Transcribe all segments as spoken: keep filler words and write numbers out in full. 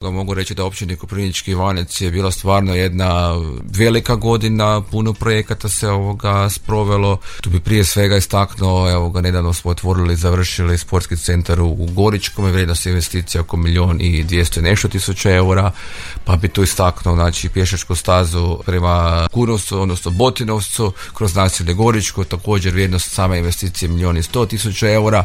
Mogu reći da općini Koprivnički Ivanec je bila stvarno jedna velika godina, puno projekata se ovoga sprovelo. Tu bi prije svega istaknuo, evo ga, nedavno smo otvorili i završili sportski centar u Goričkom, vrijednost investicija oko milijun i dvjesto nešto tisuća eura, pa bi tu istaknuo znači pješačku stazu prema Kunovcu, odnosno Botinovcu, kroz naselje Goričko, također vrijednost same investicije milijun i sto tisuća eura.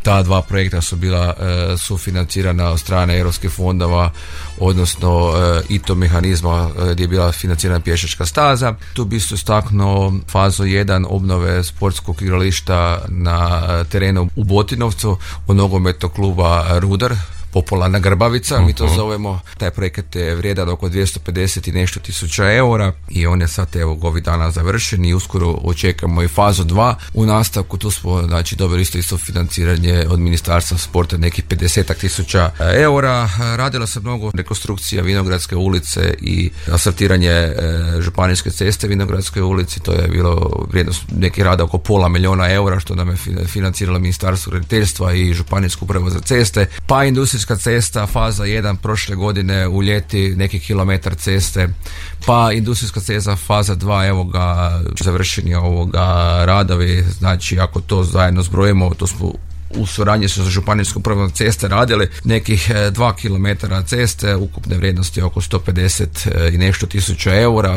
Ta dva projekta su bila e, sufinancirana od strane europskih fondova, odnosno e, I T O mehanizma e, gdje je bila financirana pješačka staza. Tu bi se istaknuo fazu jedan obnove sportskog igrališta na terenu u Botinovcu od nogometnog kluba Rudar, popularna Grbavica, uh-huh. mi to zovemo. Taj projekat je vrijedan oko dvjesto pedeset i nešto tisuća eura i on je sad evo ovih dana završen i uskoro očekamo i fazu dva. U nastavku tu smo znači dobili isto isto financiranje od Ministarstva sporta nekih pedeset tisuća eura. Radilo se mnogo rekonstrukcija Vinogradske ulice i asfaltiranje e, županijske ceste Vinogradskoj ulici. To je bilo vrijednost nekih rada oko pola milijuna eura što nam je financiralo Ministarstvo graditeljstva i Županijsku upravu za ceste. Pa industrijska cesta, faza jedan prošle godine u ljeti, neki kilometar ceste, pa industrijska cesta faza dva, evo ga, završeni ovoga radovi, znači ako to zajedno zbrojimo, to smo u suradnji sa Županijskom upravom ceste radili nekih dva kilometara ceste, ukupne vrijednosti oko sto pedeset i nešto tisuća eura.